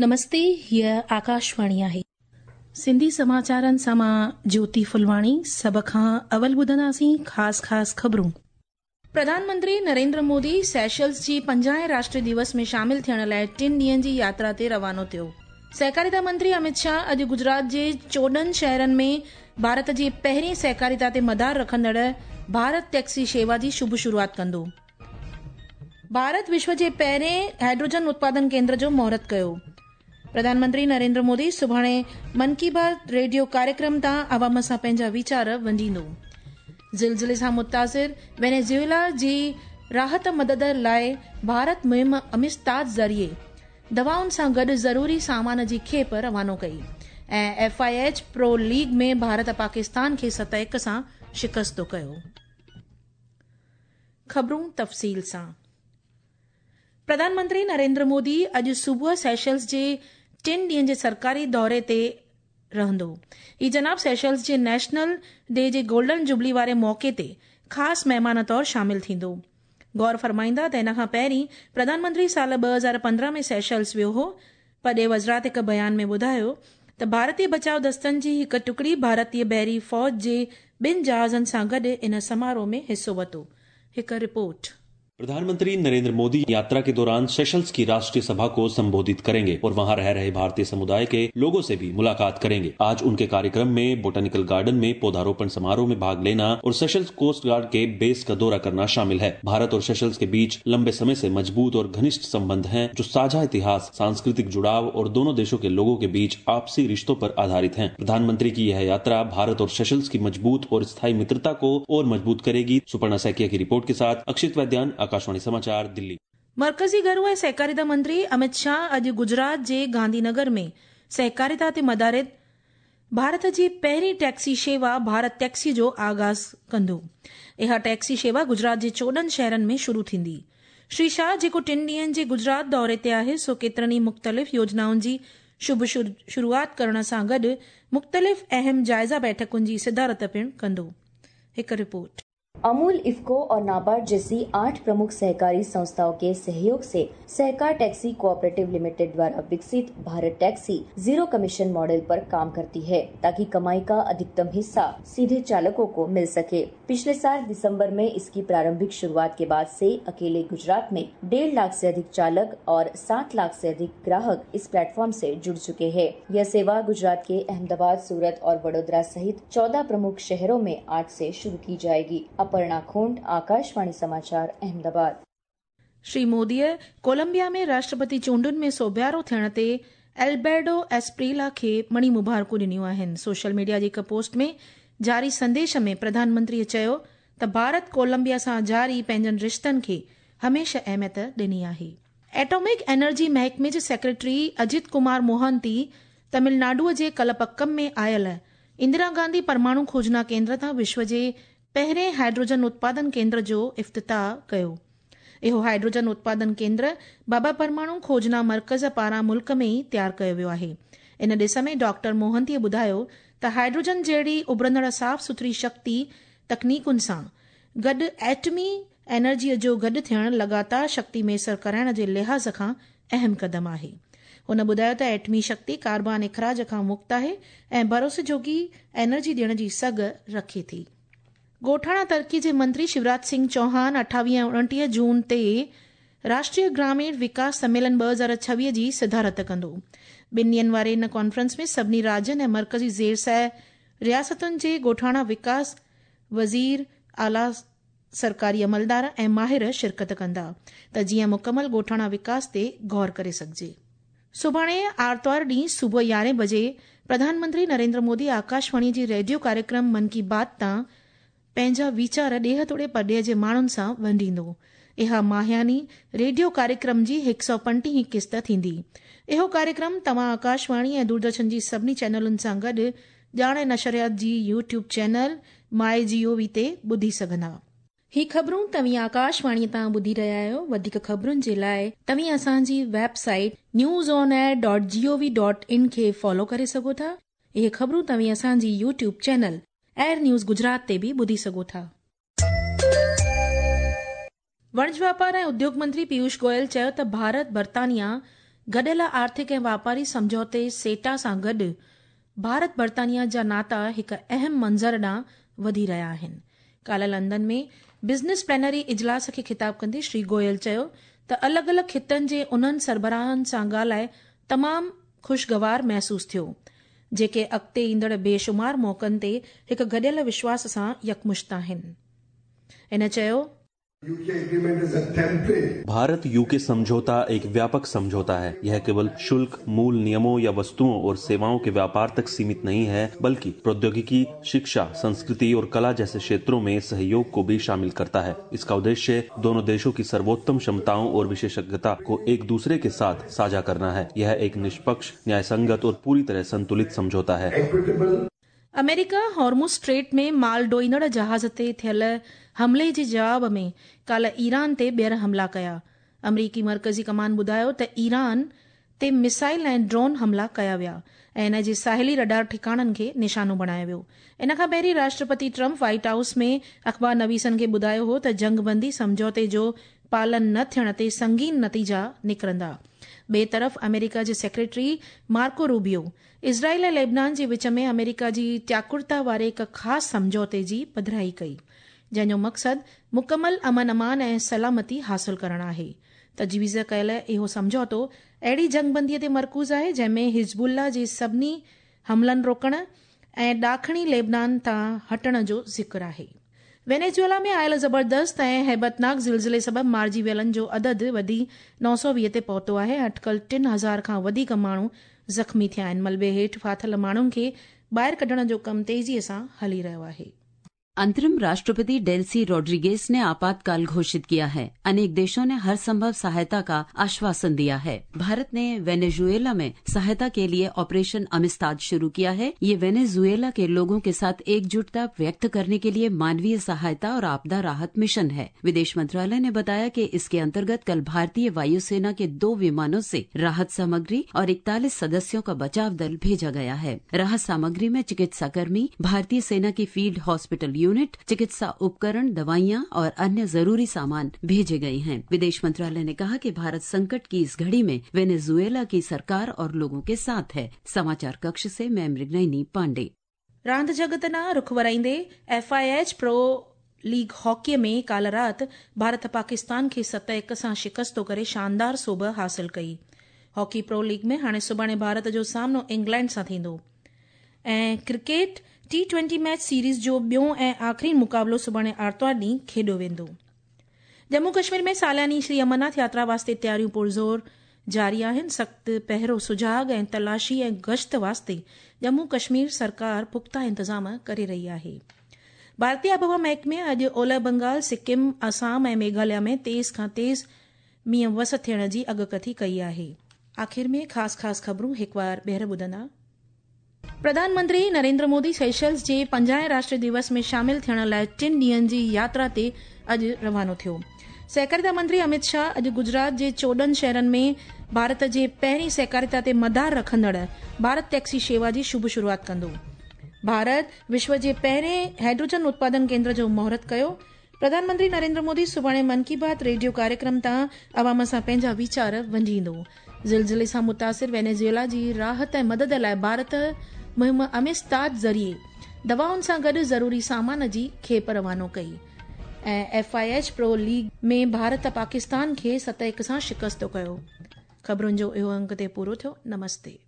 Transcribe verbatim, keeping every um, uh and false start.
नमस्ते, हीअ आकाशवाणी आहे। सिंधी समाचारनि सां मां ज्योति फुलवाणी। सभ खां अवल ॿुधंदासीं ख़ासि ख़ासि ख़बरूं। प्रधानमंत्री नरेंद्र मोदी सेशल्स जी पंजाहें राष्ट्रीय दिवस में शामिल थियण लाइ टिनि ॾींहनि जी यात्रा ते रवानो थियो। सहकारिता मंत्री अमित शाह अॼु गुजरात जे चोॾहं शहरनि में भारत जी पहिरीं सहकारिता ते मदार रखंदड़ भारत टैक्सी शेवा जी शुभ शुरूआत कंदो। भारत विश्व जे पहिरें हाइड्रोजन उत्पादन केंद्र जो मुहूर्त कयो। प्रधानमंत्री नरेंद्र मोदी सुभाणे मन की बात रेडियो कार्यक्रम तां आवाम सां पंहिंजा वीचार वंडींदो। ज़िलज़िले सां मुतासिर वेनेजुएला जी राहत मदद लाइ भारत मुहिम अमिस्ताद ज़रिए दवाउनि सां गॾु ज़रूरी सामान जी खेप रवानो कई। ऐं F I H pro league में भारत पाकिस्तान खे सत हिकु सां शिकस्तो कयो। ख़बरूं तफ़सील सां। प्रधानमंत्री नरेंद्र मोदी अॼु सुबुह सेशल्स जे टिनि ॾींहनि जे सरकारी दौरे ते रहंदो। ही जनाब सेशल्स जे नेशनल डे जे गोल्डन जुबली वारे मौक़े ते ख़ासि महिमान तौर शामिल थींदो। गौर फरमाईंदा त हिन खां पहिरीं प्रधानमंत्री साल ॿ हज़ार पंद्रहं में सेशल्स वियो हो। पॾे वज़ारत हिकु बयान में ॿुधायो त भारतीय बचाव दस्तनि जी हिकु टुकड़ी भारतीय बहरी फ़ौज जे ॿिनि जहाज़नि सां गॾु इन समारोह में हिसो वरितो। हिकु रिपोर्ट। प्रधानमंत्री नरेंद्र मोदी यात्रा के दौरान सेशल्स की राष्ट्रीय सभा को संबोधित करेंगे और वहां रह रहे भारतीय समुदाय के लोगों से भी मुलाकात करेंगे। आज उनके कार्यक्रम में बोटानिकल गार्डन में पौधारोपण समारोह में भाग लेना और सेशल्स कोस्ट गार्ड के बेस का दौरा करना शामिल है। भारत और सेशल्स के बीच लंबे समय से मजबूत और घनिष्ठ संबंध हैं, जो साझा इतिहास, सांस्कृतिक जुड़ाव और दोनों देशों के लोगों के बीच आपसी रिश्तों पर आधारित है। प्रधानमंत्री की यह यात्रा भारत और सेशल्स की मजबूत और स्थायी मित्रता को और मजबूत करेगी। सुपर्णा सैकिया की रिपोर्ट के साथ अक्षित वैद्यान, आकाशवाणी समाचार, दिल्ली। मरकज़ी घरू ऐं सहकारिता मंत्री अमित शाह अॼु गुजरात जे गांधीनगर में सहकारिता ते मदारित भारत जी पहिरीं टैक्सी शेवा भारत टैक्सी जो आगाज़ कंदो। इहा टैक्सी शेवा गुजरात जे चोॾहं शहरनि में शुरू थींदी। श्री शाह जेको टिनि ॾींहनि जे गुजरात दौरे ते आहे, सो केतिरनि ई मुख़्तलिफ़ योजनाउनि जी शुभ शुरूआत करण सां गॾु मुख़्तलिफ़ अहम जाइज़ा बैठकुनि जी सिदारत पिणु कंदो। हिकु रिपोर्ट। अमूल, इफ्को और नाबार्ड जैसी आठ प्रमुख सहकारी संस्थाओं के सहयोग से सहकार टैक्सी कोऑपरेटिव लिमिटेड द्वारा विकसित Bharat taxi zero commission model पर काम करती है, ताकि कमाई का अधिकतम हिस्सा सीधे चालकों को मिल सके। पिछले साल दिसंबर में इसकी प्रारंभिक शुरुआत के बाद से अकेले गुजरात में डेढ़ लाख से अधिक चालक और सात लाख से अधिक ग्राहक इस प्लेटफॉर्म से जुड़ चुके हैं। यह सेवा गुजरात के अहमदाबाद, सूरत और वडोदरा सहित चौदह प्रमुख शहरों में आज से शुरू की जाएगी। अपर्णा खोंड, आकाशवाणी समाचार, अहमदाबाद। श्री मोदीअ कोलंबिया में राष्ट्रपति चूंडुनि में सोबियारो थियण ते एल्बर्टो एस्प्रीला खे मणी मुबारकूं ॾिनियूं आहिनि। सोशल मीडिया जी हिकु पोस्ट में जारी संदेश में प्रधानमंत्रीअ चयो त भारत कोलंबिया सां जारी पंहिंजनि रिश्तनि खे हमेशह अहमियत ॾिनी आहे। एटॉमिक एनर्जी महकमे जे सेक्रेटरी अजित कुमार मोहंती तमिलनाडुअ जे कलपक्कम में आयल इंदिरा गांधी परमाणु खोजना केंद्र तां विश्व जे पहिरें हाइड्रोजन उत्पादन केंद्र जो इफ्तिताह कयो। इहो हाइड्रोजन उत्पादन केंद्र बाबा परमाणु खोजना मर्कज़ पारां मुल्क में ई तयारु कयो वियो आहे। इन ॾिस में डॉक्टर मोहंतीअ ॿुधायो त हाइड्रोजन जहिड़ी उभरंदड़ साफ़ सुथरी शक्ति तकनीकुनि सां गॾु एटमी एनर्जीअ जो गॾु थियणु लगातार शक्ति मयसर कराइण जे लिहाज़ खां अहम क़दम आहे। हुन ॿुधायो त एटमी शक्ति कार्बन इख़राज खां मुक्त आहे ऐं भरोसे जोगी एनर्जी ॾियण जी सघ रखे थी। ॻोठाणा तरक़ी जे मंत्री शिवराज सिंह चौहान अठावीह ऐं उणिटीह जून ते राष्ट्रीय ग्रामीण विकास सम्मेलन ॿ हज़ार छवीह जी सिदारत कंदो। ॿिनि ॾींहनि वारे इन कॉन्फ्रेंस में सभिनी राज्यनि ऐं मर्कज़ी ज़ेर रियासतुनि जे ॻोठाणा विकास वज़ीर, आला सरकारी अमलदार ऐं माहिर शिरकत कंदा त जीअं मुकमल ॻोठाणा विकास ते गौर करे सघिजे। सुभाणे आरतवार ॾींहुं सुबुह यारहें बजे प्रधानमंत्री नरेंद्र मोदी आकाशवाणी जे रेडियो कार्यक्रम मन की बात तां पंहिंजा वीचार ॾेह तोड़े परॾेह जे माण्हुनि सां वंडींदो। इहा माहियानी रेडियो कार्यक्रम जी हिकु सौ पंटीह किस्त थींदी। इहो कार्यक्रम तव्हां आकाशवाणी ऐं दूरदर्शन जी सभिनी चैनलुनि सां गॾु ॼाण ऐं नशरियात जी YouTube channel my G O V ते ॿुधी सघंदा। ही ख़बरूं तव्हीं आकाशवाणी तां ॿुधी रहिया आहियो। वधीक ख़बरुनि जे लाइ तव्हीं असांजी website news on air dot G O V dot in खे फॉलो करे सघो था। इहे ख़बरूं तव्हीं असांजी YouTube channel air news Gujarat ते बि ॿुधी सघो था। वणज वापार ऐं उद्योग मंत्री पीयूष गोयल चयो त भारत बर्तानिया गॾियल आर्थिक ऐं वापारी सम्झौते सेटा सां गॾु भारत बर्तानिया जा नाता हिकु अहम मंज़र ॾांहुं वधी रहिया आहिनि। काल्ह लंदन में बिज़नेस प्लेनरी इजलास खे ख़िताब कंदे श्री गोयल चयो त अलॻि अलॻि ख़ितनि जे उन्हनि सरबराहनि सां ॻाल्हाए तमामु ख़ुशगवार महसूसु थियो, जेके अॻिते ईंदड़ बेशुमार मौक़नि ते हिकु गॾियल विश्वास सां यकमुश्त आहिनि। हिन चयो, भारत यूके समझौता एक व्यापक समझौता है। यह केवल शुल्क, मूल नियमों या वस्तुओं और सेवाओं के व्यापार तक सीमित नहीं है, बल्कि प्रौद्योगिकी, शिक्षा, संस्कृति और कला जैसे क्षेत्रों में सहयोग को भी शामिल करता है। इसका उद्देश्य दोनों देशों की सर्वोत्तम क्षमताओं और विशेषज्ञता को एक दूसरे के साथ साझा करना है। यह एक निष्पक्ष, न्यायसंगत और पूरी तरह संतुलित समझौता है। अमेरिका हॉर्मुज़ स्ट्रेट में माल ढोईंदड़ जहाज़ ते थियल हमले जे जवाब में काल्ह ईरान ते ॿीहर हमला कया। अमरीकी मर्कज़ी कमान ॿुधायो त ईरान ते मिसाइल ऐं ड्रोन हमला कया विया ऐं इन जे साहिली रडार ठिकाणनि खे निशानो बणायो वियो। इन खां पहिरीं राष्ट्रपति ट्रंप व्हाइट हाउस में अख़बार नवीसनि खे ॿुधायो हो त जंगबंदी सम्झौते जो पालन न थियण ते संगीन नतीजा निकिरंदा। ॿिए तरफ़ अमेरिका जे सेक्रेटरी मार्को रूबियो इज़राइल ऐं लेबनान जे विच में अमेरिका जी त्याकुरता वारे हिकु ख़ासि सम्झौते जी पधराई कई, जंहिंजो मक़सदु मुकमल अमन अमान ऐं सलामती हासिल करणु आहे। तजवीज़ कयल इहो सम्झौतो अहिड़ी जंगबंदीअ ते मरकूज़ आहे जंहिंमें हिज़बुल्ला जे सभिनी हमलनि रोकण ऐं ॾाखणी लेबनान तां हटण जो ज़िक्र आहे। वेनेजुएला में आयल ज़बरदस्त ऐं हैबतनाक ज़िलज़िले सबबि मारिजी वियलनि जो अदद वधी नौ सौ वीह ते पहुतो आहे। अटकल टिनि हज़ार खां वधीक माण्हू ज़ख़्मी थिया आहिनि। मलबे हेठि फाथिल माण्हुनि खे ॿाहिरि कढण जो कमु तेज़ीअ सां हली रहियो आहे। अंतरिम राष्ट्रपति डेल्सी रोड्रिगेज ने आपातकाल घोषित किया है। अनेक देशों ने हर संभव सहायता का आश्वासन दिया है। भारत ने वेनेजुएला में सहायता के लिए ऑपरेशन अमिस्ताद शुरू किया है। ये वेनेजुएला के लोगों के साथ एकजुटता व्यक्त करने के लिए मानवीय सहायता और आपदा राहत मिशन है। विदेश मंत्रालय ने बताया कि इसके अंतर्गत कल भारतीय वायुसेना के दो विमानों से राहत सामग्री और इकतालीस सदस्यों का बचाव दल भेजा गया है। राहत सामग्री में चिकित्साकर्मी, भारतीय सेना की फील्ड हॉस्पिटल यूनिट, चिकित्सा उपकरण, दवाइयां और अन्य जरूरी सामान भेजे गए हैं। विदेश मंत्रालय ने कहा कि भारत संकट की इस घड़ी में वेनेजुएला की सरकार और लोगों के साथ है। समाचार कक्ष से मैं मृगनयनी पांडे। रांदि जगत ॾांहुं रुख वराईंदे F I H pro league हॉकीअ में काल्ह राति भारत पाकिस्तान खे सत हिकु सां शिकस्तो करे शानदार सोभ हासिल कई। हॉकी प्रो लीग में हाणे सुभाणे भारत जो सामनो इंग्लैंड सां थींदो ऐं cricket T twenty match series जो ॿियो ऐं आख़िरी मुक़ाबिलो सुभाणे आरतवार ॾींहुं खेॾियो वेंदो। जम्मू कश्मीर में सालानी श्री अमरनाथ यात्रा वास्ते तयारियूं पुरज़ोर जारी आहिनि। सख़्तु पहरो, सुजाग ऐं तलाशी ऐं गश्त वास्ते जम्मू कश्मीर सरकार पुख़्ता इंतज़ाम करे रही आहे। भारतीय आबहवा महकमे अॼु ओलह बंगाल, सिक्किम, असम ऐं मेघालय में तेज़ खां तेज़ मींहुं वस थियण जी अॻकथी कई आहे। आख़िर में ख़ासि ख़ासि ख़बरूं हिकु वार ॿीहर ॿुधंदा। प्रधानमंत्री नरेंद्र मोदी सेशल्स जे पंजाहें राष्ट्रीय दिवस में शामिल थियण लाइ टिनि ॾींहंनि जी यात्रा ते अॼु रवानो थियो। सहकारिता मंत्री अमित शाह अॼु गुजरात जे चोॾहं शहरनि में भारत जे पहिरीं सहकारिता ते मदार रखंदड़ भारत टैक्सी शेवा जी शुभ शुरूआत कंदो। भारत विश्व जे पहिरें हाइड्रोजन उत्पादन केंद्र जो मुहूर्त कयो। प्रधानमंत्री नरेंद्र मोदी सुभाणे मन की बात रेडियो कार्यक्रम तां अवाम सां पंहिंजा वीचार वंडींदो। ज़िलज़िले सां मुतासिर वेनेजुएला जी राहत ऐं मदद लाइ भारत मुहिम अमिस्ताद ज़रिए दवाउनि सां गॾु ज़रूरी सामान जी खेप रवानो कई। ऐं F I H pro league में भारत पाकिस्तान खे सत हिकु सां शिकस्तो कयो। ख़बरुनि जो इहो अंक ते पूरो थियो। नमस्ते।